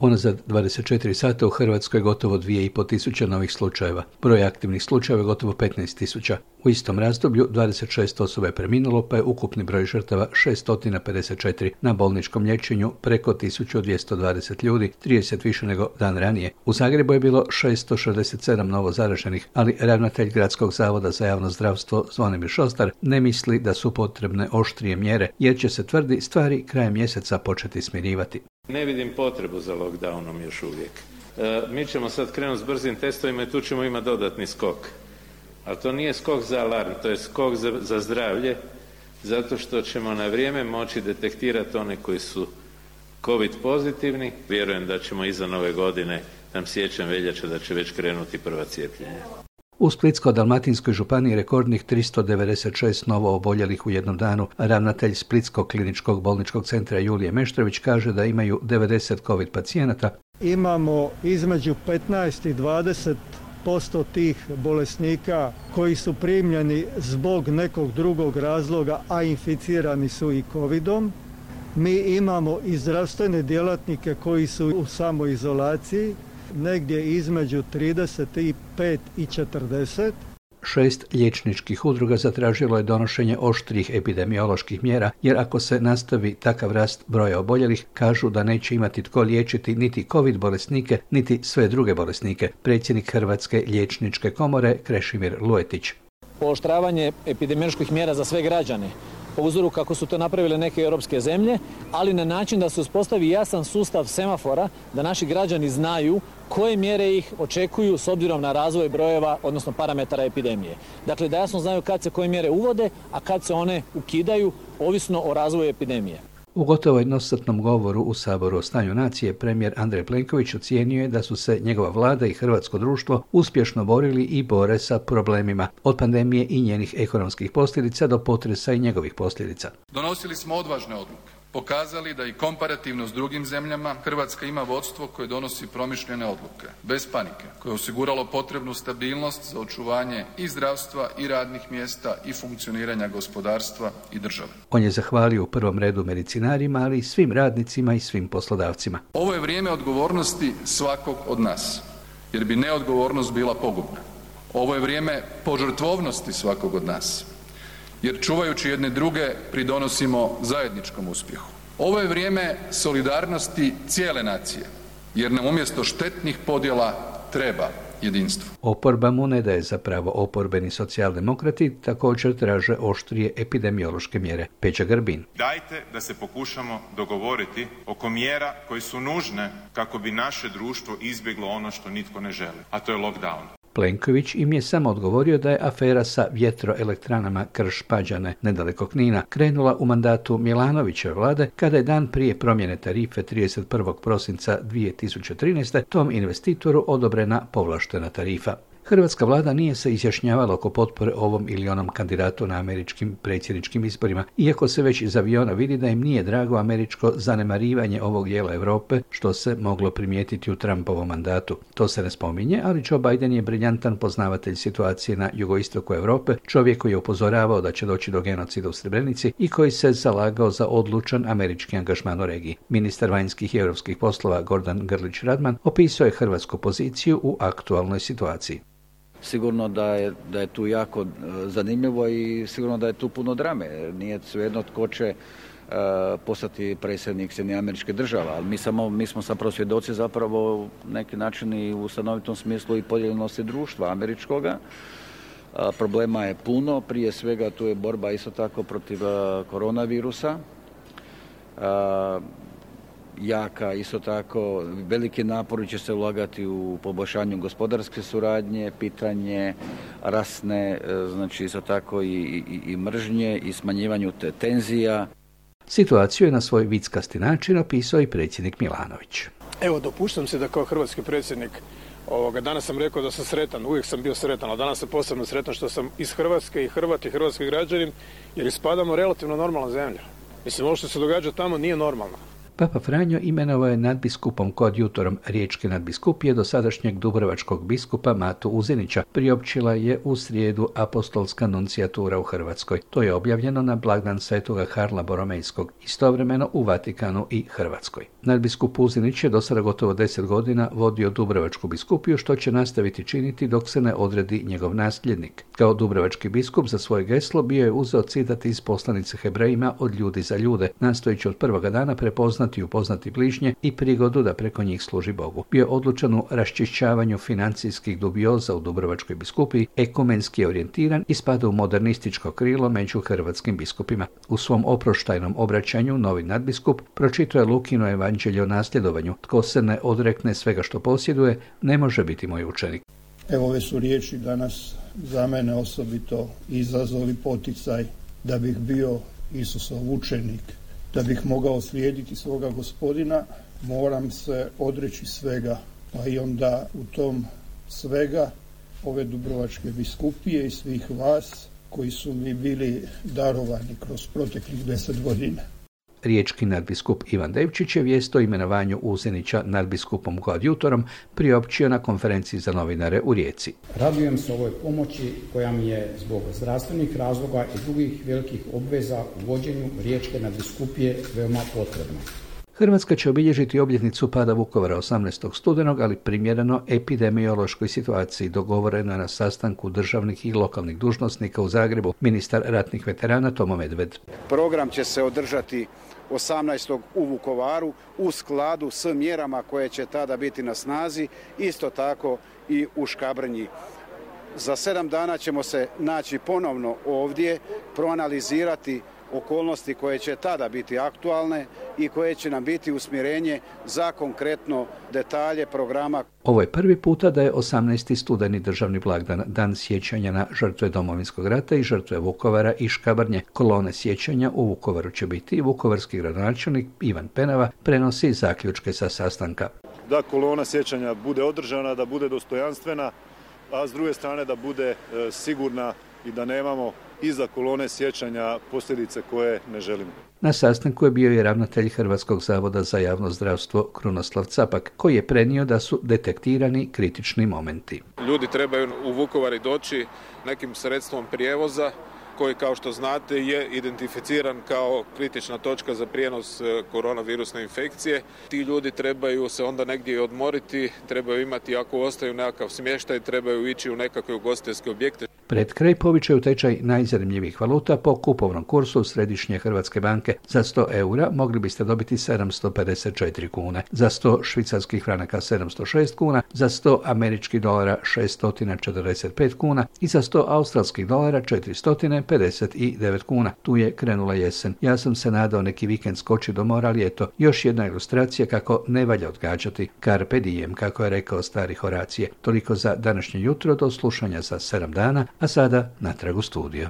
Unazad 24 sata u Hrvatskoj je gotovo 2.500 novih slučajeva. Broj aktivnih slučajeva je gotovo 15.000. U istom razdoblju 26 osoba je preminulo, pa je ukupni broj žrtava 654. Na bolničkom liječenju preko 1220 ljudi, 30 više nego dan ranije. U Zagrebu je bilo 667 novo zaraženih, ali ravnatelj Gradskog zavoda za javno zdravstvo Zvonimir Šostar ne misli da su potrebne oštrije mjere, jer će se, tvrdi, stvari krajem mjeseca početi smirivati. Ne vidim potrebu za lockdownom još uvijek. Mi ćemo sad krenuti s brzim testovima i tu ćemo imati dodatni skok. Ali to nije skok za alarm, to je skok za zdravlje, zato što ćemo na vrijeme moći detektirati one koji su COVID pozitivni. Vjerujem da ćemo iza nove godine, tam siječanj, veljača, da će već krenuti prva cijepljenja. U Splitsko-dalmatinskoj županiji rekordnih 396 novo oboljelih u jednom danu. Ravnatelj Splitskog kliničkog bolničkog centra Julije Meštrović kaže da imaju 90 COVID pacijenata. Imamo između 15 i 20% tih bolesnika koji su primljeni zbog nekog drugog razloga, a inficirani su i covidom. Mi imamo i zdravstvene djelatnike koji su u samoizolaciji, negdje između 35 i 40. 6 liječničkih udruga zatražilo je donošenje oštrih epidemioloških mjera, jer ako se nastavi takav rast broja oboljelih, kažu da neće imati tko liječiti niti COVID bolesnike, niti sve druge bolesnike. Predsjednik Hrvatske liječničke komore Krešimir Luetić. Pooštravanje epidemioloških mjera za sve građane, po uzoru kako su to napravile neke europske zemlje, ali na način da se uspostavi jasan sustav semafora, da naši građani znaju koje mjere ih očekuju s obzirom na razvoj brojeva, odnosno parametara epidemije. Dakle, da jasno znaju kad se koje mjere uvode, a kad se one ukidaju, ovisno o razvoju epidemije. U gotovo jednosatnom govoru u Saboru o stanju nacije premijer Andrej Plenković ocijenio je da su se njegova vlada i hrvatsko društvo uspješno borili i bore sa problemima, od pandemije i njenih ekonomskih posljedica do potresa i njegovih posljedica. Donosili smo odvažne odluke, pokazali da i komparativno s drugim zemljama Hrvatska ima vodstvo koje donosi promišljene odluke, bez panike, koje je osiguralo potrebnu stabilnost za očuvanje i zdravstva i radnih mjesta i funkcioniranja gospodarstva i države. On je zahvalio u prvom redu medicinarima, ali i svim radnicima i svim poslodavcima. Ovo je vrijeme odgovornosti svakog od nas, jer bi neodgovornost bila pogubna. Ovo je vrijeme požrtvovnosti svakog od nas, jer čuvajući jedne druge pridonosimo zajedničkom uspjehu. Ovo je vrijeme solidarnosti cijele nacije, jer nam umjesto štetnih podjela treba jedinstvo. Oporba mu ne daje zapravo. Oporbeni socijaldemokrati također traže oštrije epidemiološke mjere. Peđa Grbin. Dajte da se pokušamo dogovoriti oko mjera koje su nužne kako bi naše društvo izbjeglo ono što nitko ne želi, a to je lockdown. Plenković im je samo odgovorio da je afera sa vjetroelektranama Krš-Pađene nedaleko Knina krenula u mandatu Milanovićeve vlade, kada je dan prije promjene tarife 31. prosinca 2013. tom investitoru odobrena povlaštena tarifa. Hrvatska vlada nije se izjašnjavala oko potpore ovom ili onom kandidatu na američkim predsjedničkim izborima, iako se već iz aviona vidi da im nije drago američko zanemarivanje ovog dijela Europe, što se moglo primijetiti u Trumpovom mandatu. To se ne spominje, ali Joe Biden je briljantan poznavatelj situacije na jugoistoku Europe, čovjek koji je upozoravao da će doći do genocida u Srebrenici i koji se zalagao za odlučan američki angažman u regiji. Ministar vanjskih i europskih poslova Gordan Grlić Radman opisao je hrvatsku poziciju u aktualnoj situaciji. Sigurno da je tu jako zanimljivo i sigurno da je tu puno drame. Nije svejedno tko će postati predsjednik Sjedinjenih Američkih Država, ali mi smo zapravo svjedoci zapravo neki način i u stanovitom smislu i podijeljenosti društva američkoga. Problema je puno, prije svega tu je borba isto tako protiv koronavirusa. Jaka, isto tako, veliki napori će se ulagati u poboljšanju gospodarske suradnje, pitanje rasne, znači isto tako i mržnje i smanjivanju tenzija. Situaciju je na svoj vickasti način opisao i predsjednik Milanović. Evo, dopuštam se da kao hrvatski predsjednik, danas sam rekao da sam sretan, uvijek sam bio sretan, ali danas sam posebno sretan što sam iz Hrvatske i Hrvat i hrvatski građanin, jer ispadamo relativno normalna zemlja. Mislim, ovo što se događa tamo nije normalno. Papa Franjo imenovao je nadbiskupom kod jutorom riječke nadbiskupije dosadašnjeg dubrovačkog biskupa Matu Uzinića. Priopćila je u srijedu apostolska nuncijatura u Hrvatskoj. To je objavljeno na blagdan svetoga Karla Boromejskog, istovremeno u Vatikanu i Hrvatskoj. Nadbiskup Uzinić je do sada gotovo 10 godina vodio Dubrovačku biskupiju, što će nastaviti činiti dok se ne odredi njegov nasljednik. Kao dubrovački biskup za svoje geslo bio je uzeo citat iz poslanice Hebrejima od ljudi za ljude, nastojeći od prvoga dana prepoznati i upoznati bližnje i prigodu da preko njih služi Bogu. Bio je odlučan u raščišćavanju financijskih dubioza u Dubrovačkoj biskupiji, ekumenski je orijentiran i spada u modernističko krilo među hrvatskim biskupima. U svom oproštajnom obraćanju novi nadbiskup pročitao je Lukino evanđelje o nasljedovanju. Tko se ne odrekne svega što posjeduje, ne može biti moj učenik. Evo, ove su riječi danas za mene osobito izazov i poticaj da bih bio Isusov učenik, da bih mogao slijediti svoga Gospodina, moram se odreći svega, pa i onda u tom svega ove Dubrovačke biskupije i svih vas koji su mi bili darovani kroz proteklih 10 godina. Riječki nadbiskup Ivan Devčić je vijest o imenovanju Uzinića nadbiskupom koadjutorom priopćio na konferenciji za novinare u Rijeci. Radujem se ovoj pomoći koja mi je zbog zdravstvenih razloga i drugih velikih obveza u vođenju Riječke nadbiskupije veoma potrebna. Hrvatska će obilježiti obljetnicu pada Vukovara 18. studenog, ali primjereno epidemiološkoj situaciji. Dogovoreno je na sastanku državnih i lokalnih dužnosnika u Zagrebu ministar ratnih veterana Tomo Medved. Program će se održati 18. u Vukovaru u skladu s mjerama koje će tada biti na snazi, isto tako i u Škabrnji. Za 7 dana ćemo se naći ponovno ovdje, proanalizirati okolnosti koje će tada biti aktualne i koje će nam biti usmjerenje za konkretno detalje programa. Ovo je prvi puta da je 18. studeni državni blagdan, dan sjećanja na žrtve Domovinskog rata i žrtve Vukovara i Škabrnje. Kolone sjećanja u Vukovaru će biti i vukovarski gradonačelnik Ivan Penava prenosi zaključke sa sastanka. Da kolona sjećanja bude održana, da bude dostojanstvena, a s druge strane da bude sigurna i da nemamo iza kolone sjećanja posljedice koje ne želimo. Na sastanku je bio i ravnatelj Hrvatskog zavoda za javno zdravstvo Krunoslav Capak, koji je prenio da su detektirani kritični momenti. Ljudi trebaju u Vukovar doći nekim sredstvom prijevoza koji, kao što znate, je identificiran kao kritična točka za prijenos koronavirusne infekcije. Ti ljudi trebaju se onda negdje odmoriti, trebaju imati, ako ostaju nekakav smještaj, trebaju ići u nekakve ugostiteljske objekte. Pred kraj povičaju tečaj najzanimljivijih valuta po kupovnom kursu Središnje Hrvatske banke. Za 100 eura mogli biste dobiti 754 kune, za 100 švicarskih franaka 706 kuna, za 100 američkih dolara 645 kuna i za 100 australskih dolara 459 kuna. Tu je krenula jesen. Ja sam se nadao neki vikend skoči do mora, ali eto, još jedna ilustracija kako ne valja odgađati. Carpe diem, kako je rekao stari Horacije. Toliko za današnje jutro, do slušanja za 7 dana, a sada natrag u studio.